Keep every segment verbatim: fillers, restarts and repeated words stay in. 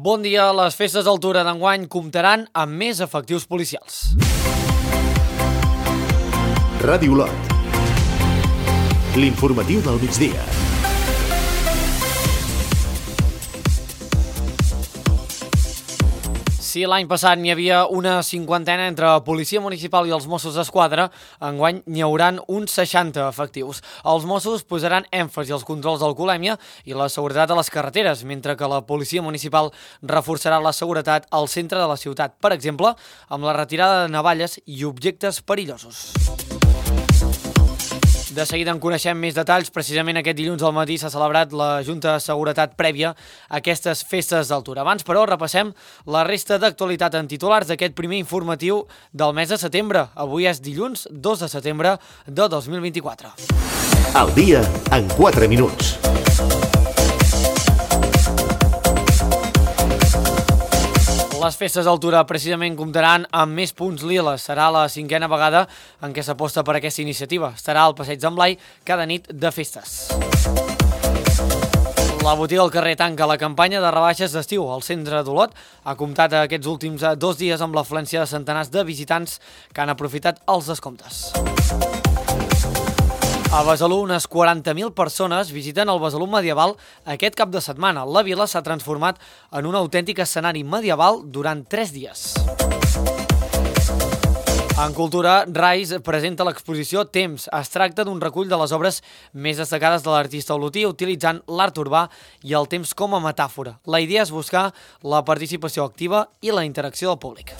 Bon dia. Les festes d'Altura d'enguany comptaran amb més efectius policials. Ràdio Olot. L'informatiu del migdia. Si l'any passat n'hi havia una cinquantena entre Policia Municipal i els Mossos d'Esquadra, enguany n'hi hauran uns seixanta efectius. Els Mossos posaran èmfasi als controls d'alcoholèmia i la seguretat a les carreteres, mentre que la Policia Municipal reforçarà la seguretat al centre de la ciutat, per exemple, amb la retirada de navalles i objectes perillosos. De seguida en coneixem més detalls. Precisament aquest dilluns al matí s'ha celebrat la Junta de Seguretat prèvia a aquestes festes d'Altura. Abans, però, repassem la resta d'actualitat en titulars d'aquest primer informatiu del mes de setembre. Avui és dilluns dos de setembre de dos mil vint-i-quatre. Al dia en quatre minuts. Les festes d'Altura precisament comptaran amb més punts liles. Serà la cinquena vegada en què s'aposta per aquesta iniciativa. Estarà al Passeig d'en Blai cada nit de festes. La botiga al carrer tanca la campanya de rebaixes d'estiu. El centre d'Olot ha comptat aquests últims dos dies amb l'afluència de centenars de visitants que han aprofitat els descomptes. A Besalú, unes quaranta mil persones visiten el Besalú medieval aquest cap de setmana. La vila s'ha transformat en un autèntic escenari medieval durant tres dies. En cultura, Rais presenta l'exposició Temps. Es tracta d'un recull de les obres més destacades de l'artista olotí utilitzant l'art urbà i el temps com a metàfora. La idea és buscar la participació activa i la interacció del públic.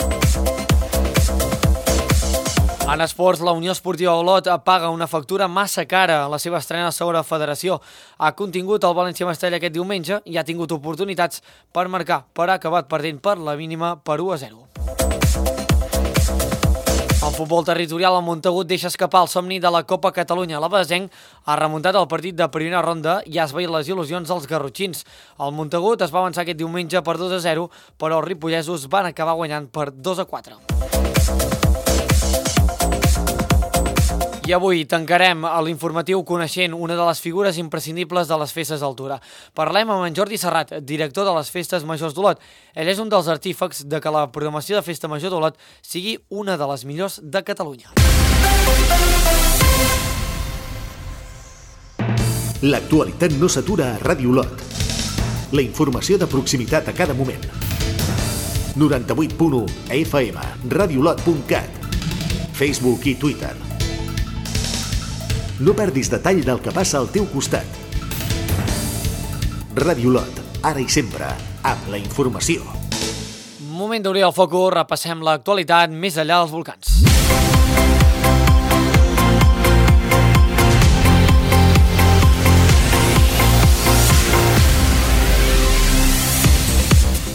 En esports, la Unió Esportiva Olot paga una factura massa cara a la seva estrena a segona federació. Ha contingut el València Mestalla aquest diumenge i ha tingut oportunitats per marcar, però ha acabat perdent per la mínima per u a zero. El futbol territorial al Montagut deixa escapar el somni de la Copa Catalunya. La Basenc ha remuntat el partit de primera ronda i ha esvaït les il·lusions dels garrotxins. El Montagut es va avançar aquest diumenge per dos a zero, però els ripollesos van acabar guanyant per dos a quatre. I avui tancarem l'informatiu coneixent una de les figures imprescindibles de les festes d'Altura. Parlem amb en Jordi Serrat, director de les Festes Majors d'Olot. Ell és un dels artífecs de que la programació de Festa Major d'Olot sigui una de les millors de Catalunya. L'actualitat no s'atura a Ràdio Olot. La informació de proximitat a cada moment. noranta-vuit punt u F M, radiolot punt cat, Facebook i Twitter. No perdis detall del que passa al teu costat. Ràdio Olot, ara i sempre, amb la informació. Moment d'obrir el focus, repassem l'actualitat més enllà dels volcans.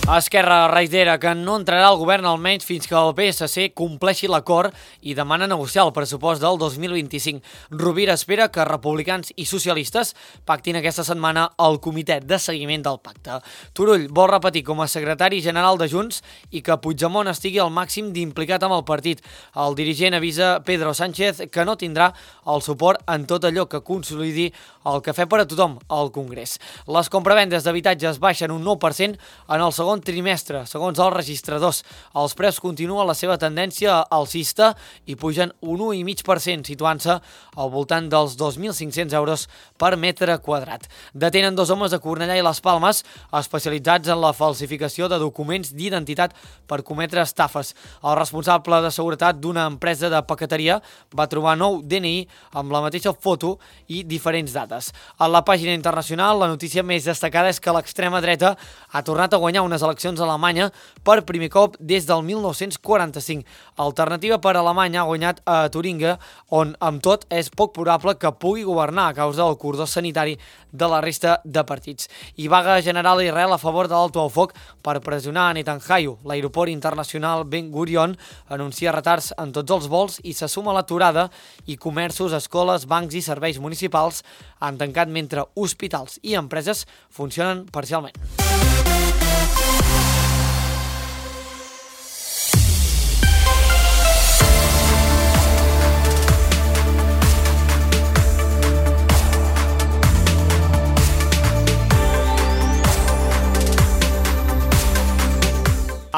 Esquerra reitera que no entrarà al govern almenys fins que el P S C compleixi l'acord i demana negociar el pressupost del dos mil vint-i-cinc. Rovira espera que republicans i socialistes pactin aquesta setmana el comitè de seguiment del pacte. Turull vol repetir com a secretari general de Junts i que Puigdemont estigui al màxim d'implicat amb el partit. El dirigent avisa Pedro Sánchez que no tindrà el suport en tot allò que consolidi el cafè per a tothom al Congrés. Les compravendes d'habitatges baixen un nou per cent en el segon trimestre, segons els registradors. Els preus continuen la seva tendència alcista i pugen un u coma cinc per cent, situant-se al voltant dels dos mil cinc-cents euros per metre quadrat. Detenen dos homes de Cornellà i Les Palmes especialitzats en la falsificació de documents d'identitat per cometre estafes. El responsable de seguretat d'una empresa de paqueteria va trobar nou D N I amb la mateixa foto i diferents dates. A la pàgina internacional, la notícia més destacada és que l'extrema dreta ha tornat a guanyar unes eleccions a Alemanya per primer cop des del mil nou-cents quaranta-cinc. Alternativa per Alemanya ha guanyat a Turinga, on amb tot és poc probable que pugui governar a causa del cordó sanitari de la resta de partits. I vaga general a Israel a favor de l'alto al foc per pressionar a Netanyahu. L'aeroport internacional Ben Gurion anuncia retards en tots els vols i se suma l'aturada i comerços, escoles, bancs i serveis municipals han tancat mentre hospitals i empreses funcionen parcialment.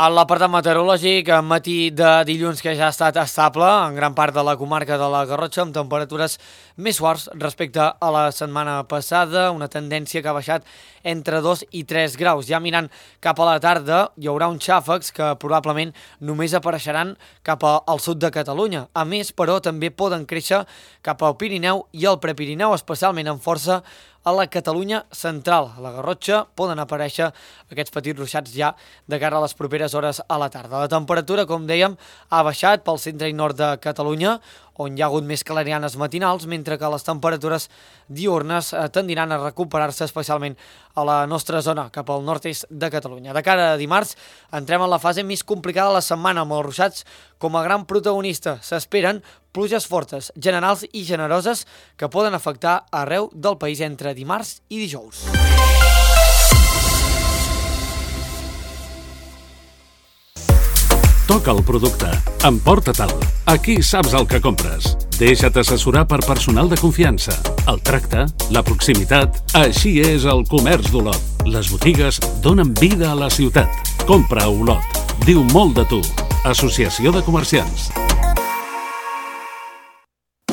A l'apartat meteorològic, matí de dilluns que ja ha estat estable en gran part de la comarca de la Garrotxa, amb temperatures més suaves respecte a la setmana passada, una tendència que ha baixat entre dos i tres graus. Ja mirant cap a la tarda hi haurà uns xàfecs que probablement només apareixeran cap al sud de Catalunya. A més, però, també poden créixer cap al Pirineu i al Prepirineu, especialment amb força a la Catalunya central. A la Garrotxa poden aparèixer aquests petits ruixats ja de cara a les properes hores a la tarda. La temperatura, com dèiem, ha baixat pel centre i nord de Catalunya, on hi ha hagut més clarianes matinals, mentre que les temperatures diurnes tendiran a recuperar-se especialment a la nostra zona, cap al nord-est de Catalunya. De cara a dimarts, entrem en la fase més complicada de la setmana, amb els ruixats com a gran protagonista. S'esperen pluges fortes, generals i generoses que poden afectar arreu del país entre dimarts i dijous. Toca el producte. Emporta-te'l. Aquí saps el que compres. Deixa't assessorar per personal de confiança. El tracte, la proximitat... Així és el comerç d'Olot. Les botigues donen vida a la ciutat. Compra a Olot. Diu molt de tu. Associació de Comerciants.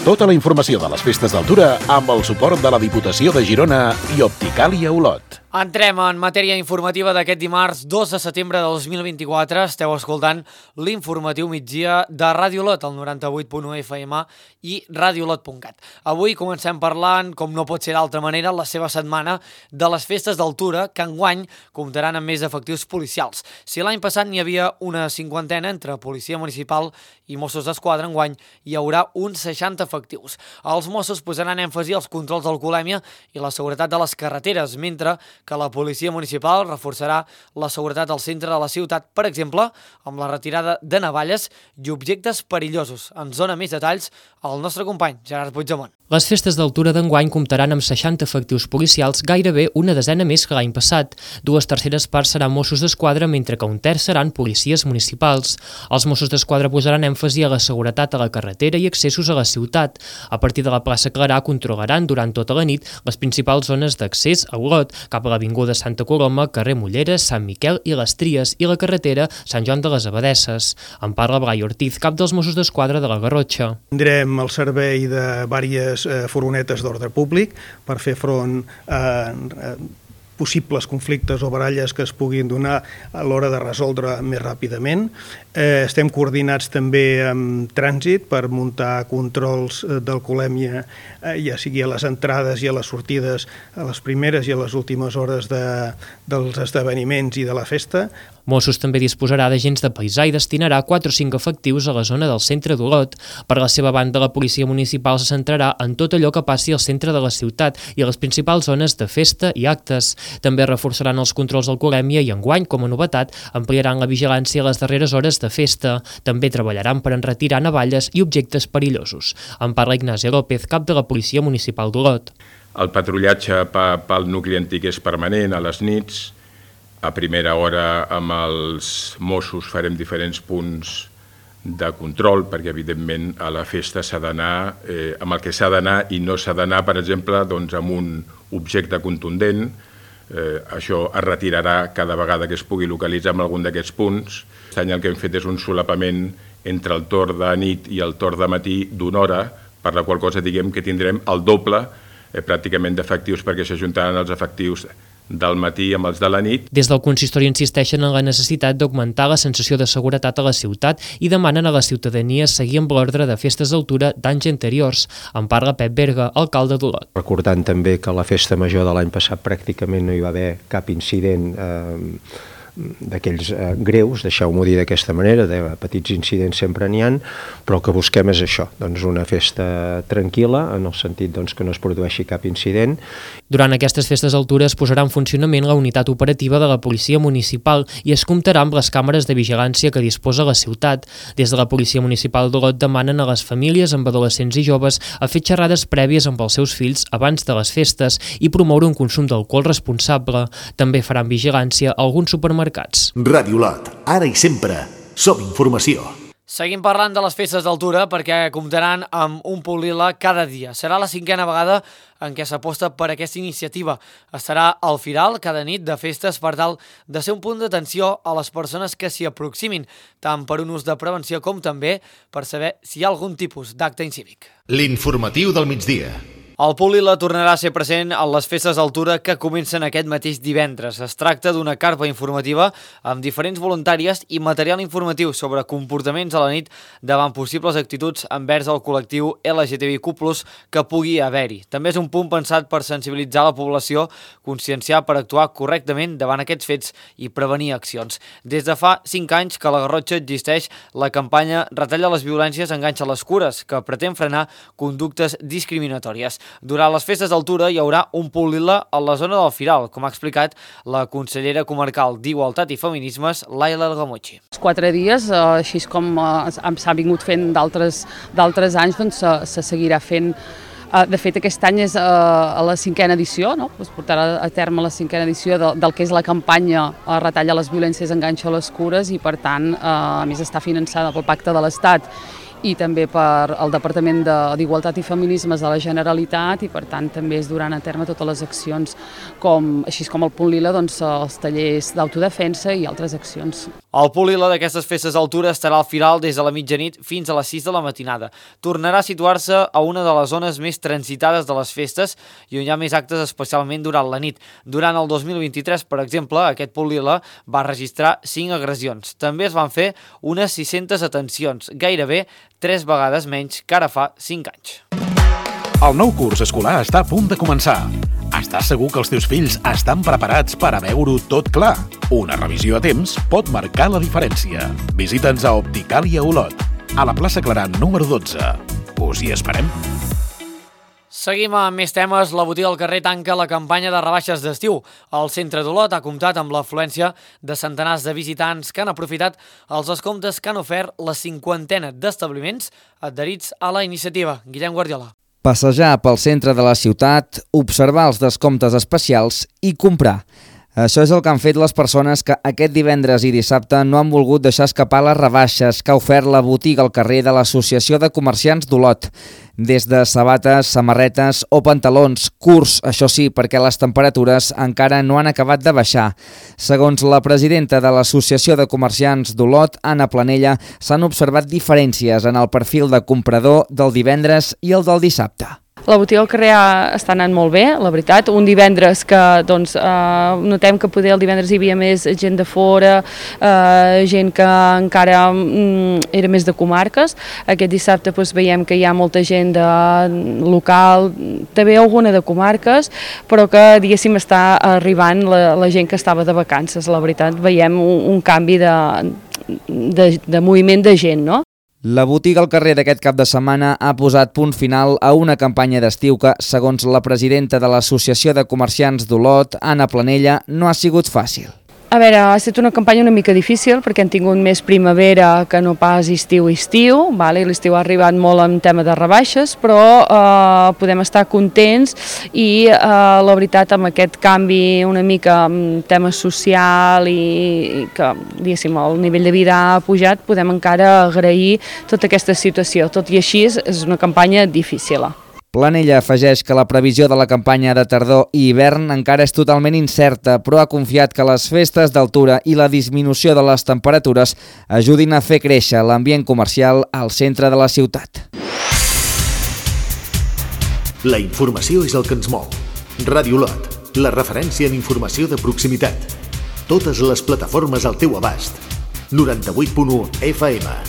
Tota la informació de les festes d'Altura amb el suport de la Diputació de Girona i Opticàlia Olot. Entrem en matèria informativa d'aquest dimarts dos de setembre de dos mil vint-i-quatre. Esteu escoltant l'informatiu migdia de Ràdio Olot, el noranta-vuit punt u F M i radiolot punt cat. Avui comencem parlant, com no pot ser d'altra manera, la seva setmana de les festes d'Altura, que enguany comptaran amb més efectius policials. Si l'any passat n'hi havia una cinquantena entre policia municipal i Mossos d'Esquadra, enguany hi haurà uns seixanta efectius. Els Mossos posaran èmfasi als controls d'alcoholèmia i la seguretat de les carreteres, mentre que la policia municipal reforçarà la seguretat al centre de la ciutat, per exemple, amb la retirada de navalles i objectes perillosos. Ens dona més detalls el nostre company, Gerard Puigdemont. Les festes d'Altura d'enguany comptaran amb seixanta efectius policials, gairebé una desena més que l'any passat. Dues terceres parts seran Mossos d'Esquadra, mentre que un terç seran policies municipals. Els Mossos d'Esquadra posaran èmfasi a la seguretat a la carretera i accessos a la ciutat. A partir de la plaça Clarà controlaran durant tota la nit les principals zones d'accés a Olot, cap a l'avinguda Santa Coloma, carrer Mulleres, Sant Miquel i les Tries, i la carretera Sant Joan de les Abadesses. En parla Blai Ortiz, cap dels Mossos d'Esquadra de la Garrotxa. Tindrem el servei de diverses furgonetes d'ordre públic per fer front a possibles conflictes o baralles que es puguin donar a l'hora de resoldre més ràpidament. Eh, estem coordinats també amb trànsit per muntar controls d'alcoholèmia, eh, ja sigui a les entrades i a les sortides, a les primeres i a les últimes hores de, dels esdeveniments i de la festa. Mossos també disposarà d'agents de paisà i destinarà quatre o cinc efectius a la zona del centre d'Olot. Per la seva banda, la policia municipal se centrarà en tot allò que passi al centre de la ciutat i a les principals zones de festa i actes. També reforçaran els controls d'alcoholèmia i enguany, com a novetat, ampliaran la vigilància a les darreres hores de festa. També treballaran per enretirar navalles i objectes perillosos. En parla Ignasi López, cap de la policia municipal d'Olot. El patrullatge pel nucli antic és permanent a les nits. A primera hora amb els Mossos farem diferents punts de control, perquè evidentment a la festa s'ha d'anar eh, amb el que s'ha d'anar i no s'ha d'anar, per exemple, doncs, amb un objecte contundent. Eh, això es retirarà cada vegada que es pugui localitzar en algun d'aquests punts. Aquest any el que hem fet és un solapament entre el torn de nit i el torn de matí d'una hora, per la qual cosa diguem que tindrem el doble eh, pràcticament d'efectius, perquè s'ajuntaran els efectius del matí amb els de la nit. Des del consistori insisteixen en la necessitat d'augmentar la sensació de seguretat a la ciutat i demanen a la ciutadania seguir amb l'ordre de festes d'Altura d'anys anteriors. En parla Pep Berga, alcalde d'Olot. Recordant també que a la festa major de l'any passat pràcticament no hi va haver cap incident eh, d'aquells eh, greus, deixeu-m'ho dir d'aquesta manera, de petits incidents sempre n'hi ha, però el que busquem és això, doncs una festa tranquil·la, en el sentit doncs, que no es produeixi cap incident. Durant aquestes festes d'Altura es posarà en funcionament la unitat operativa de la policia municipal i es comptarà amb les càmeres de vigilància que disposa la ciutat. Des de la policia municipal d'Olot demanen a les famílies amb adolescents i joves a fer xerrades prèvies amb els seus fills abans de les festes i promoure un consum d'alcohol responsable. També faran vigilància a alguns supermercats. Ràdio Olot, ara i sempre, som informació. Seguim parlant de les festes d'altura perquè comptaran amb un punt lila cada dia. Serà la cinquena vegada en què s'aposta per aquesta iniciativa. Estarà al Firal cada nit de festes per tal de ser un punt d'atenció a les persones que s'hi aproximin, tant per un ús de prevenció com també per saber si hi ha algun tipus d'acte incívic. L'informatiu del migdia. El punt lila tornarà a ser present a les festes d'altura que comencen aquest mateix divendres. Es tracta d'una carpa informativa amb diferents voluntàries i material informatiu sobre comportaments a la nit davant possibles actituds envers el col·lectiu L G T B Q plus, que pugui haver-hi. També és un punt pensat per sensibilitzar la població, conscienciar per actuar correctament davant aquests fets i prevenir accions. Des de fa cinc anys que a la Garrotxa existeix la campanya Retalla les violències, enganxa les cures, que pretén frenar conductes discriminatòries. Durant les festes d'altura hi haurà un punt lila a la zona del Firal, com ha explicat la consellera comarcal d'Igualtat i Feminismes, Laila Algamuchi. Els quatre dies, així com s'ha vingut fent d'altres d'altres anys, doncs se seguirà fent. De fet, aquest any és a la cinquena edició, no? Es portarà a terme la cinquena edició del que és la campanya Retalla les violències, enganxa les cures, i per tant, a més està finançada pel Pacte de l'Estat i també per el Departament d'Igualtat i Feminismes de la Generalitat, i per tant també es duran a terme totes les accions, com, així com el punt lila, doncs, els tallers d'autodefensa i altres accions. El punt lila d'aquestes festes d'altura estarà al Firal des de la mitjanit fins a les sis de la matinada. Tornarà a situar-se a una de les zones més transitades de les festes i on hi ha més actes, especialment durant la nit. Durant el dos mil vint-i-tres, per exemple, aquest punt lila va registrar cinc agressions. També es van fer unes sis-centes atencions, gairebé tres vegades menys que ara fa cinc anys. El nou curs escolar està a punt de començar. Estàs segur que els teus fills estan preparats per a veure-ho tot clar? Una revisió a temps pot marcar la diferència. Visita'ns a Opticàlia Olot, a la plaça Clarà número dotze. Us hi esperem. Seguim amb més temes. La botiga al carrer tanca la campanya de rebaixes d'estiu. El centre d'Olot ha comptat amb l'afluència de centenars de visitants que han aprofitat els descomptes que han ofert la cinquantena d'establiments adherits a la iniciativa. Guillem Guardiola. Passejar pel centre de la ciutat, observar els descomptes especials i comprar. Això és el que han fet les persones que aquest divendres i dissabte no han volgut deixar escapar les rebaixes que ha ofert la botiga al carrer de l'Associació de Comerciants d'Olot. Des de sabates, samarretes o pantalons curts, això sí, perquè les temperatures encara no han acabat de baixar. Segons la presidenta de l'Associació de Comerciants d'Olot, Anna Planella, s'han observat diferències en el perfil de comprador del divendres i el del dissabte. La botiga al carrer està anant molt bé, la veritat. Un divendres que doncs, eh, notem que poder el divendres hi havia més gent de fora, eh, gent que encara mm, era més de comarques. Aquest dissabte doncs, veiem que hi ha molta gent de local, també alguna de comarques, però que diguéssim està arribant la, la gent que estava de vacances. La veritat, veiem un, un canvi de, de, de moviment de gent, no? La botiga al carrer d'aquest cap de setmana ha posat punt final a una campanya d'estiu que, segons la presidenta de l'Associació de Comerciants d'Olot, Anna Planella, no ha sigut fàcil. A veure, ha estat una campanya una mica difícil perquè hem tingut més primavera que no pas estiu-estiu, vale? L'estiu ha arribat molt en tema de rebaixes, però eh, podem estar contents i eh, la veritat amb aquest canvi una mica en tema social i, i que diguéssim el nivell de vida ha pujat, podem encara agrair tota aquesta situació. Tot i així és una campanya difícil. Planella afegeix que la previsió de la campanya de tardor i hivern encara és totalment incerta, però ha confiat que les festes d'altura i la disminució de les temperatures ajudin a fer créixer l'ambient comercial al centre de la ciutat. La informació és el que ens mou. Ràdio Olot, la referència en informació de proximitat. Totes les plataformes al teu abast. noranta-vuit punt u F M,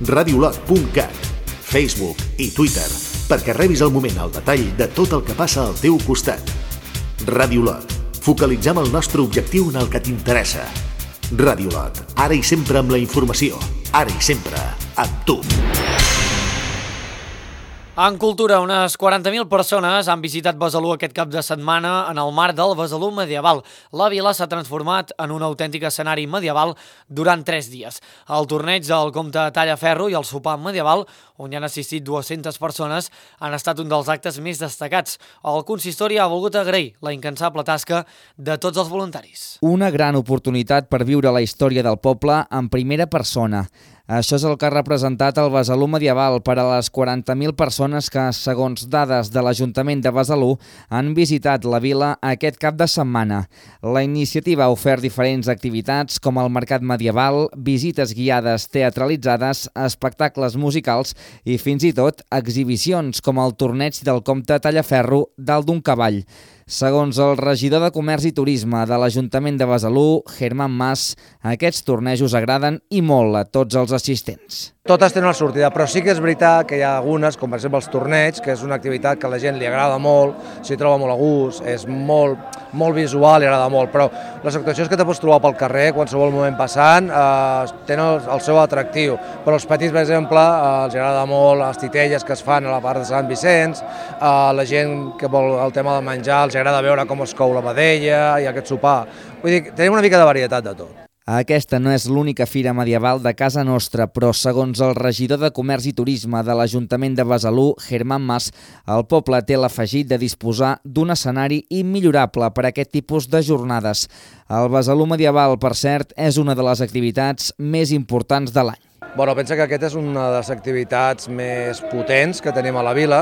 radiolot punt cat, Facebook i Twitter, perquè rebis al moment el detall de tot el que passa al teu costat. Ràdio Olot, focalitzem el nostre objectiu en el que t'interessa. Ràdio Olot, ara i sempre amb la informació, ara i sempre amb tu. En cultura, unes quaranta mil persones han visitat Besalú aquest cap de setmana en el marc del Besalú medieval. La vila s'ha transformat en un autèntic escenari medieval durant tres dies. El torneig del comte Tallaferro i el sopar medieval, on hi han assistit dues-centes persones, han estat un dels actes més destacats. El consistori ha volgut agrair la incansable tasca de tots els voluntaris. Una gran oportunitat per viure la història del poble en primera persona. Això és el que ha representat el Besalú medieval per a les quaranta mil persones que, segons dades de l'Ajuntament de Besalú, han visitat la vila aquest cap de setmana. La iniciativa ha ofert diferents activitats com el mercat medieval, visites guiades teatralitzades, espectacles musicals i fins i tot exhibicions com el torneig del comte Tallaferro dalt d'un cavall. Segons el regidor de Comerç i Turisme de l'Ajuntament de Besalú, Germán Mas, aquests tornejos agraden i molt a tots els assistents. Totes tenen una sortida, però sí que és veritat que hi ha algunes, com per exemple els torneigs, que és una activitat que a la gent li agrada molt, s'hi troba molt a gust, és molt, molt visual i agrada molt, però les actuacions que te pots trobar pel carrer, qualsevol moment passant, eh, tenen el, el seu atractiu. Però els petits, per exemple, eh, els agrada molt les titelles que es fan a la part de Sant Vicenç, eh, la gent que vol el tema del menjar, els agrada veure com es cou la vedella i aquest sopar. Vull dir, tenim una mica de varietat de tot. Aquesta no és l'única fira medieval de casa nostra, però segons el regidor de Comerç i Turisme de l'Ajuntament de Besalú, Germán Mas, el poble té l'afegit de disposar d'un escenari immillorable per a aquest tipus de jornades. El Besalú medieval, per cert, és una de les activitats més importants de l'any. Bueno, pensa que aquesta és una de les activitats més potents que tenim a la vila,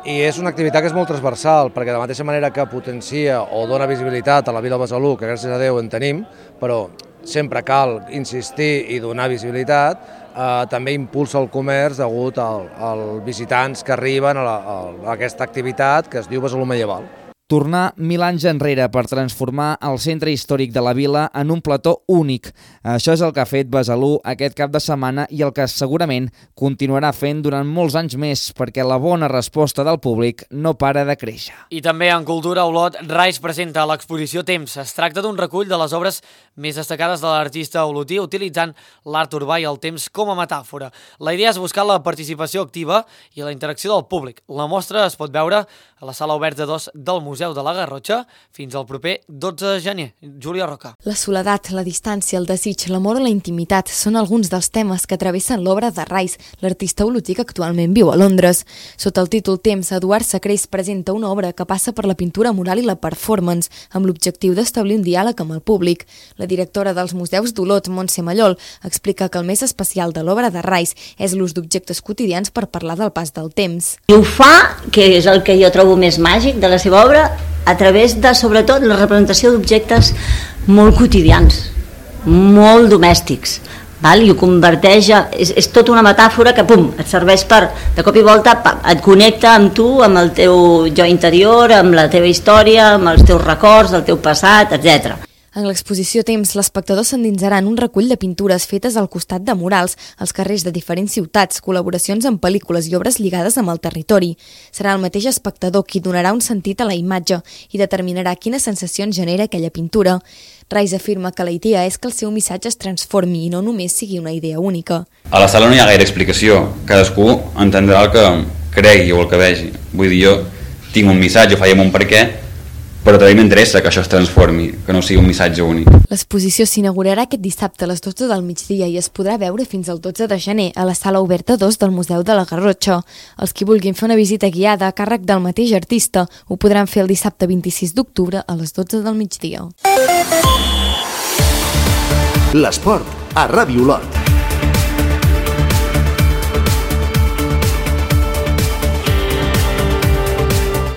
i és una activitat que és molt transversal, perquè de la mateixa manera que potencia o dona visibilitat a la vila de Besalú, que gràcies a Déu en tenim, però sempre cal insistir i donar visibilitat, eh, també impulsa el comerç degut als visitants que arriben a, la, a aquesta activitat que es diu Besalú medieval. Tornar mil anys enrere per transformar el centre històric de la vila en un plató únic. Això és el que ha fet Besalú aquest cap de setmana i el que segurament continuarà fent durant molts anys més, perquè la bona resposta del públic no para de créixer. I també en Cultura Olot, Rais presenta l'exposició Temps. Es tracta d'un recull de les obres més destacades de l'artista olotí utilitzant l'art urbà i el temps com a metàfora. La idea és buscar la participació activa i la interacció del públic. La mostra es pot veure a la sala oberta dos del Museu de la Garrotxa fins al proper dotze de gener. Júlia Roca. La soledat, la distància, el desig, l'amor o la intimitat són alguns dels temes que travessen l'obra de Rais, l'artista olotí que actualment viu a Londres. Sota el títol Temps, Eduard Sacrés presenta una obra que passa per la pintura mural i la performance, amb l'objectiu d'establir un diàleg amb el públic. La directora dels Museus d'Olot, Montse Mallol, explica que el més especial de l'obra de Rais és l'ús d'objectes quotidians per parlar del pas del temps. I ho fa, que és el que jo trobo més màgic de la seva obra, a través de, sobretot, la representació d'objectes molt quotidians, molt domèstics, val? I ho converteix, a, és, és tota una metàfora que, pum, et serveix per, de cop i volta, et connecta amb tu, amb el teu jo interior, amb la teva història, amb els teus records, el teu passat, etcètera. En l'exposició Temps, l'espectador s'endinsarà en un recull de pintures fetes al costat de murals, als carrers de diferents ciutats, col·laboracions amb pel·lícules i obres lligades amb el territori. Serà el mateix espectador qui donarà un sentit a la imatge i determinarà quines sensacions genera aquella pintura. Rais afirma que la idea és que el seu missatge es transformi i no només sigui una idea única. A la sala no hi ha gaire explicació, cadascú entendrà el que cregui o el que vegi. Vull dir, jo tinc un missatge, faig un per què, però també m'interessa que això es transformi, que no sigui un missatge únic. L'exposició s'inaugurarà aquest dissabte a les dotze del migdia i es podrà veure fins al dotze de gener a la sala oberta dos del Museu de la Garrotxa. Els qui vulguin fer una visita guiada a càrrec del mateix artista ho podran fer el dissabte vint-i-sis d'octubre a les dotze del migdia. L'esport a Ràdio Olot.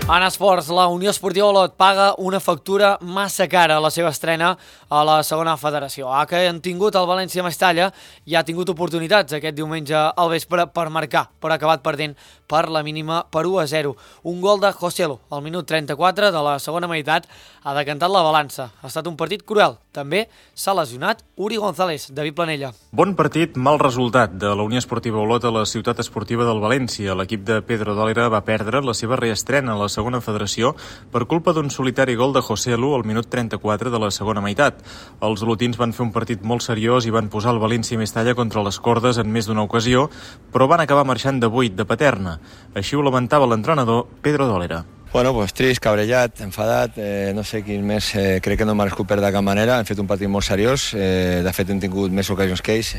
En esports, la Unió Esportiva Olot paga una factura massa cara a la seva estrena a la segona federació. A que han tingut el València Mestalla i ha tingut oportunitats aquest diumenge al vespre per marcar, però ha acabat perdent per la mínima per u a zero. Un gol de Joselu al minut trenta-quatre de la segona meitat ha decantat la balança. Ha estat un partit cruel. També s'ha lesionat Uri González, David Planella. Bon partit, mal resultat de la Unió Esportiva Olot a la ciutat esportiva del València. L'equip de Pedro Dòlera va perdre la seva reestrena a la segona federació per culpa d'un solitari gol de Joselu al minut trenta-quatre de la segona meitat. Els olotins van fer un partit molt seriós i van posar el València Mestalla contra les cordes en més d'una ocasió, però van acabar marxant de vuit de Paterna. Així ho lamentava l'entrenador Pedro Dòlera. Bueno, pues trist, cabrellat, enfadat, eh, no sé quin més, eh, crec que no m'ha merescut perdre de cap manera, hem fet un partit molt seriós, eh, de fet hem tingut més ocasions que ells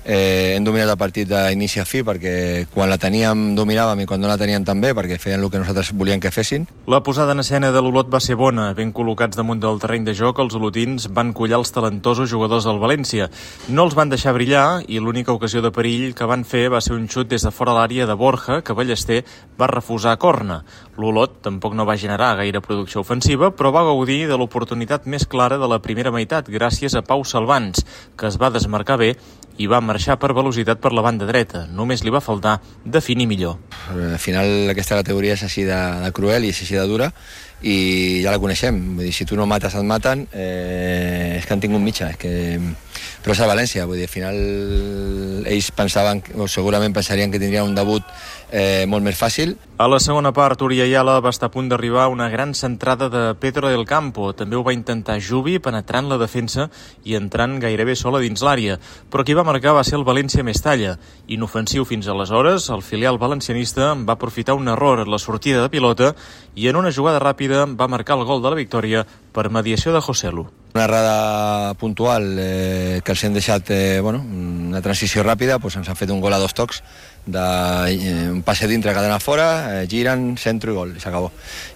eh, hem dominat el partit d'inici a fi, perquè quan la teníem dominàvem i quan no la teníem també, perquè feien el que nosaltres volíem que fessin. La posada en escena de l'Olot va ser bona. Ben col·locats damunt del terreny de joc, els olotins van collar els talentosos jugadors del València. No els van deixar brillar i l'única ocasió de perill que van fer va ser un xut des de fora l'àrea de Borja, que Ballester va refusar a corna. L'Olot tampoc no va generar gaire producció ofensiva, però va gaudir de l'oportunitat més clara de la primera meitat gràcies a Pau Salvans, que es va desmarcar bé i va marxar per velocitat per la banda dreta. Només li va faltar definir millor. Al final aquesta categoria és així de, de cruel i és així de dura i ja la coneixem. Vull dir, si tu no mates et maten, eh, és que han tingut mitja. És que... Però és a València, vull dir, al final ells pensaven, o segurament pensarien que tindrien un debut eh, molt més fàcil. A la segona part, Oriayala va estar a punt d'arribar una gran centrada de Pedro del Campo. També ho va intentar Jubi, penetrant la defensa i entrant gairebé sola dins l'àrea. Però qui va marcar va ser el València Mestalla. Inofensiu fins aleshores, el filial valencianista va aprofitar un error en la sortida de pilota i en una jugada ràpida va marcar el gol de la victòria per mediació de Joselu. Una errada puntual eh, que els hem deixat eh, bueno, una transició ràpida, doncs ens han fet un gol a dos tocs, de, eh, un passe dintre, cadena fora, eh, giren, centro i gol, i s'acabó.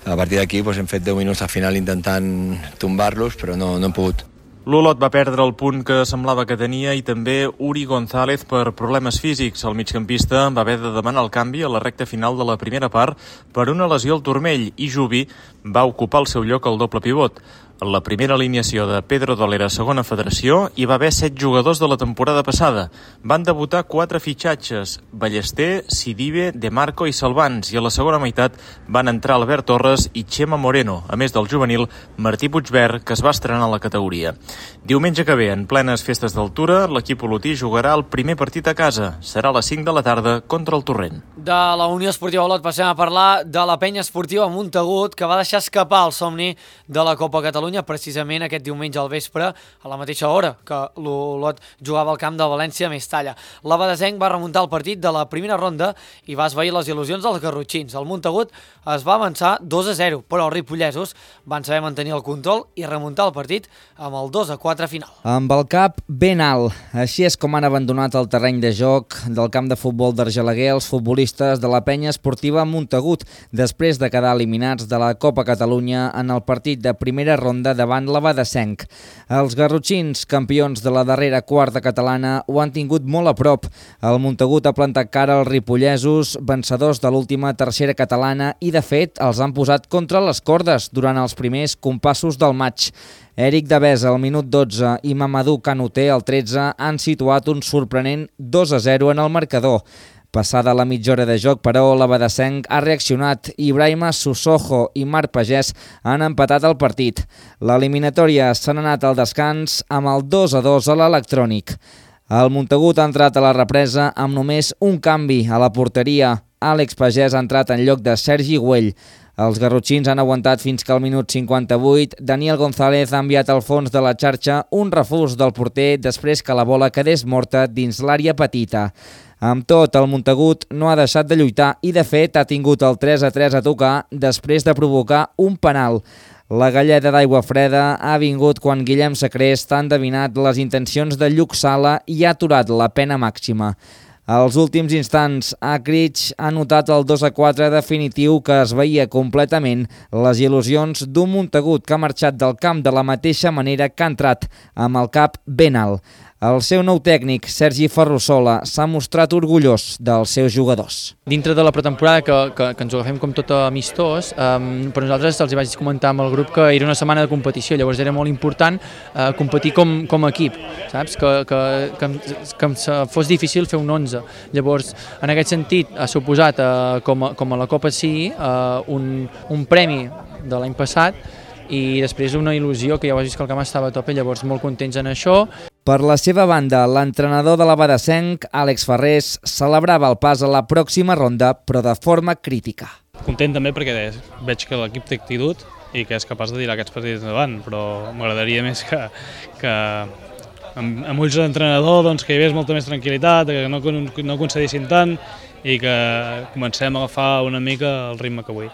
A partir d'aquí doncs, hem fet deu minuts al final intentant tombar-los, però no, no hem pogut. L'Olot va perdre el punt que semblava que tenia i també Uri González per problemes físics. El migcampista va haver de demanar el canvi a la recta final de la primera part per una lesió al turmell i Jubi va ocupar el seu lloc al doble pivot. En la primera alineació de Pedro Dolera a segona federació hi va haver set jugadors de la temporada passada. Van debutar quatre fitxatges, Ballester, Sidibe, De Marco i Salvans, i a la segona meitat van entrar Albert Torres i Chema Moreno, a més del juvenil Martí Puigverd, que es va estrenar a la categoria. Diumenge que ve, en plenes festes d'altura, l'equip olotí jugarà el primer partit a casa. Serà a les cinc de la tarda contra el Torrent. De la Unió Esportiva Olot passem a parlar de la penya esportiva Montagut, que va deixar escapar el somni de la Copa Catalunya precisament aquest diumenge al vespre, a la mateixa hora que l'Olot jugava al camp de València a Mestalla. L'Abadesenc va remuntar el partit de la primera ronda i va esvair les il·lusions dels garrotxins. El Montagut es va avançar dos a zero, però els ripollesos van saber mantenir el control i remuntar el partit amb el dos a quatre final. Amb el cap ben alt. Així és com han abandonat el terreny de joc del camp de futbol d'Argelaguer els futbolistes de la penya esportiva Montagut, després de quedar eliminats de la Copa Catalunya en el partit de primera ronda davant l'Abadesenc. Els garrotxins, campions de la darrera quarta catalana, ho han tingut molt a prop. El Montagut ha plantat cara als ripollesos, vencedors de l'última tercera catalana, i de fet els han posat contra les cordes durant els primers compassos del maig. Eric Devesa al minut dotze i Mamadou Kanouté al tretze han situat un sorprenent dos a zero en el marcador. Passada la mitja hora de joc, però, l'Abadesenc ha reaccionat i Ibrahima Susojo i Marc Pagès han empatat el partit. L'eliminatòria s'ha anat al descans amb el dos a dos a l'electrònic. El Montagut ha entrat a la represa amb només un canvi a la porteria. Àlex Pagès ha entrat en lloc de Sergi Güell. Els garrotxins han aguantat fins que al minut cinquanta-vuit Daniel González ha enviat al fons de la xarxa un refús del porter després que la bola quedés morta dins l'àrea petita. Amb tot, el Montagut no ha deixat de lluitar i, de fet, ha tingut el tres a tres a tocar després de provocar un penal. La galleda d'aigua freda ha vingut quan Guillem Sacrest ha endevinat les intencions de Lluc Sala i ha aturat la pena màxima. Als últims instants, Akrich ha notat el dos a quatre definitiu que es veia completament les il·lusions d'un Montagut que ha marxat del camp de la mateixa manera que ha entrat, amb el cap ben alt. El seu nou tècnic, Sergi Ferrusola, s'ha mostrat orgullós dels seus jugadors. Dintre de la pretemporada, que, que, que ens ho agafem com tot amistós, um, per nosaltres els vaig comentar amb el grup que era una setmana de competició, llavors era molt important uh, competir com, com a equip, saps? Que, que, que, que fos difícil fer un onze. Llavors, en aquest sentit, ha suposat, uh, com, a, com a la Copa sí, uh, un, un premi de l'any passat, i després una il·lusió que ja ho has vist que el camp estava a tope, llavors molt contents en això. Per la seva banda, l'entrenador de l'Abadesenc, Àlex Ferrés, celebrava el pas a la pròxima ronda, però de forma crítica. Content també perquè veig que l'equip té actitud i que és capaç de tirar aquests partits endavant, però m'agradaria més que, que amb, amb ulls d'entrenador doncs, que hi hagués molta més tranquil·litat, que no, no concedissin tant i que comencem a agafar una mica el ritme que vull.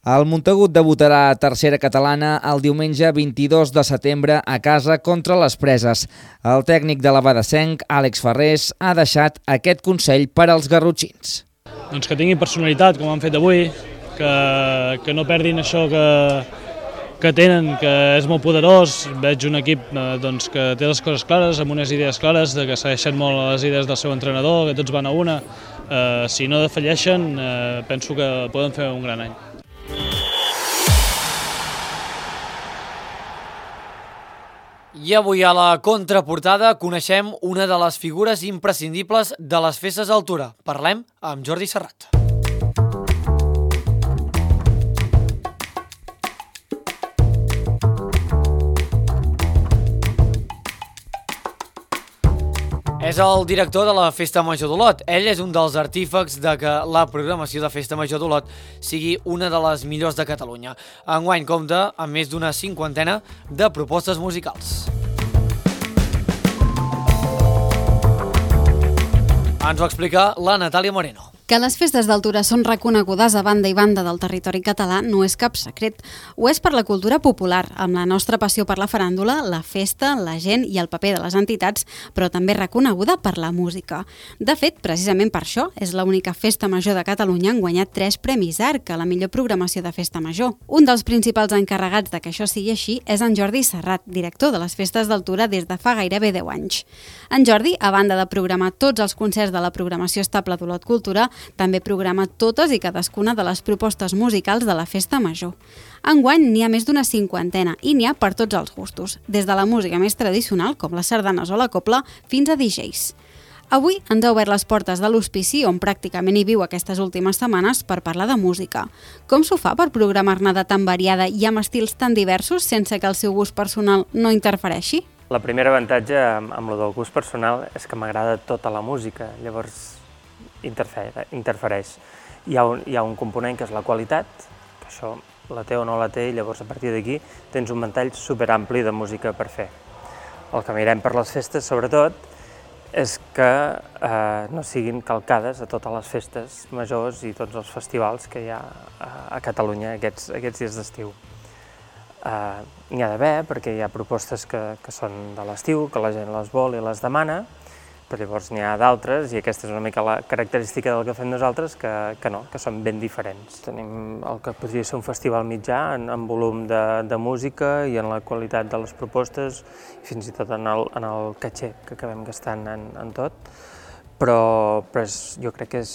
El Montagut debutarà a tercera catalana el diumenge vint-i-dos de setembre a casa contra les Preses. El tècnic de l'Abadesenc, Àlex Ferrés, ha deixat aquest consell per als garrotxins. Doncs que tinguin personalitat, com han fet avui, que, que no perdin això que, que tenen, que és molt poderós. Veig un equip eh, doncs, que té les coses clares, amb unes idees clares, de que segueixen molt les idees del seu entrenador, que tots van a una. Eh, si no defalleixen, eh, penso que poden fer un gran any. I avui a la contraportada coneixem una de les figures imprescindibles de les festes d'altura. Parlem amb Jordi Serrat. És el director de la Festa Major d'Olot. Ell és un dels artífecs de que la programació de Festa Major d'Olot sigui una de les millors de Catalunya. Enguany compta amb més d'una cinquantena de propostes musicals. Ens ho explica la Natàlia Moreno. Que les festes d'altura són reconegudes a banda i banda del territori català no és cap secret. Ho és per la cultura popular, amb la nostra passió per la faràndula, la festa, la gent i el paper de les entitats, però també reconeguda per la música. De fet, precisament per això, és l'única festa major de Catalunya en guanyat tres premis A R C a la millor programació de festa major. Un dels principals encarregats de que això sigui així és en Jordi Serrat, director de les festes d'altura des de fa gairebé deu anys. En Jordi, a banda de programar tots els concerts de la programació estable d'Olot Cultura, també programa totes i cadascuna de les propostes musicals de la Festa Major. Enguany n'hi ha més d'una cinquantena i n'hi ha per tots els gustos, des de la música més tradicional, com les sardanes o la copla, fins a D Js. Avui ens ha obert les portes de l'Hospici, on pràcticament hi viu aquestes últimes setmanes, per parlar de música. Com s'ho fa per programar-ne de tan variada i amb estils tan diversos sense que el seu gust personal no interfereixi? La primera avantatge amb, amb lo del gust personal és que m'agrada tota la música, llavors interfereix. Hi ha, un, hi ha un component que és la qualitat, que això la té o no la té, i llavors a partir d'aquí tens un ventall superampli de música per fer. El que mirem per les festes, sobretot, és que eh, no siguin calcades a totes les festes majors i tots els festivals que hi ha a, a Catalunya aquests, aquests dies d'estiu. Uh, n'hi ha d'haver, perquè hi ha propostes que, que són de l'estiu, que la gent les vol i les demana, però llavors n'hi ha d'altres, i aquesta és una mica la característica del que fem nosaltres, que, que no, que són ben diferents. Tenim el que podria ser un festival mitjà en, en volum de, de música i en la qualitat de les propostes, i fins i tot en el, en el caché que acabem gastant en, en tot, però, però és, jo crec que és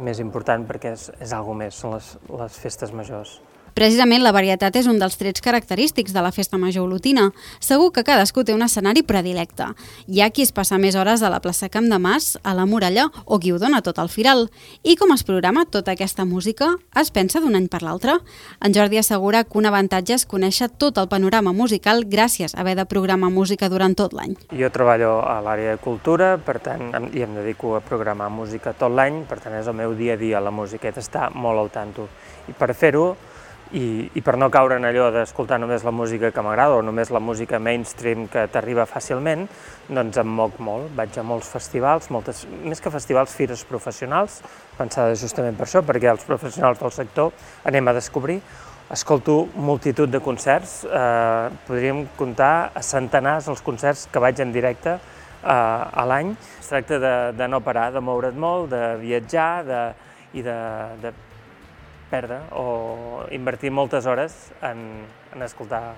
més important perquè és, és alguna més, són les, les festes majors. Precisament la varietat és un dels trets característics de la Festa Major olotina. Segur que cadascú té un escenari predilecte. Hi ha qui es passa més hores a la plaça Camp de Mas, a la Muralla, o qui ho dona tot al Firal. I com es programa tota aquesta música? Es pensa d'un any per l'altre? En Jordi assegura que un avantatge és conèixer tot el panorama musical gràcies a haver de programar música durant tot l'any. Jo treballo a l'àrea de cultura, per tant, i em dedico a programar música tot l'any, per tant és el meu dia a dia la música, he d'estar molt al tanto. I per fer-ho, I, i per no caure en allò d'escoltar només la música que m'agrada o només la música mainstream que t'arriba fàcilment, doncs em moc molt. Vaig a molts festivals, moltes, més que festivals, fires professionals, pensades justament per això, perquè els professionals del sector anem a descobrir. Escolto multitud de concerts, eh, podríem comptar a centenars els concerts que vaig en directe eh, a l'any. Es tracta de, de no parar, de moure't molt, de viatjar de, i de, de perdre o invertir moltes hores en, en escoltar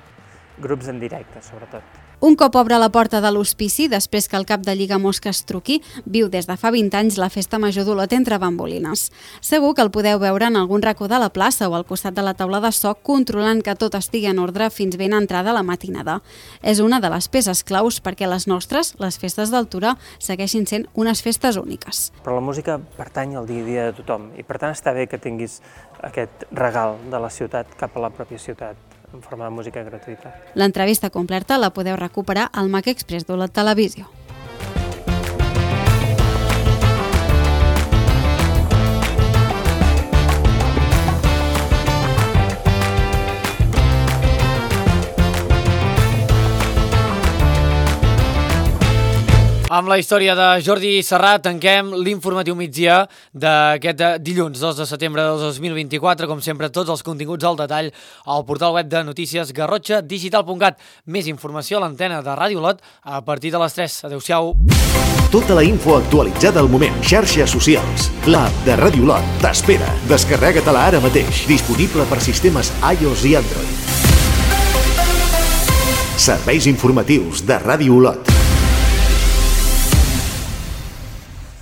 grups en directe, sobretot. Un cop obre la porta de l'Hospici, després que el cap de Lliga Mosques truqui, viu des de fa vint anys la Festa Major d'Olot entre bambolines. Segur que el podeu veure en algun racó de la plaça o al costat de la taula de so, controlant que tot estigui en ordre fins ben entrada la matinada. És una de les peces claus perquè les nostres, les festes d'altura, segueixin sent unes festes úniques. Però la música pertany al dia a dia de tothom i per tant està bé que tinguis aquest regal de la ciutat cap a la pròpia ciutat, en forma de música gratuïta. L'entrevista completa la podeu recuperar al Mac Express d'Olot Televisió. Amb la història de Jordi Serrat tanquem l'informatiu migdia d'aquest dilluns dos de setembre de dos mil vint-i-quatre. Com sempre, tots els continguts al detall al portal web de notícies garrotxa digital punt cat. Més informació a l'antena de Ràdio Olot a partir de les tres. Adéu-siau. Tota la info actualitzada al moment. Xarxes socials. L'app de Ràdio Olot t'espera. Descarrega-te-la ara mateix. Disponible per sistemes iOS i Android. Serveis informatius de Ràdio Olot.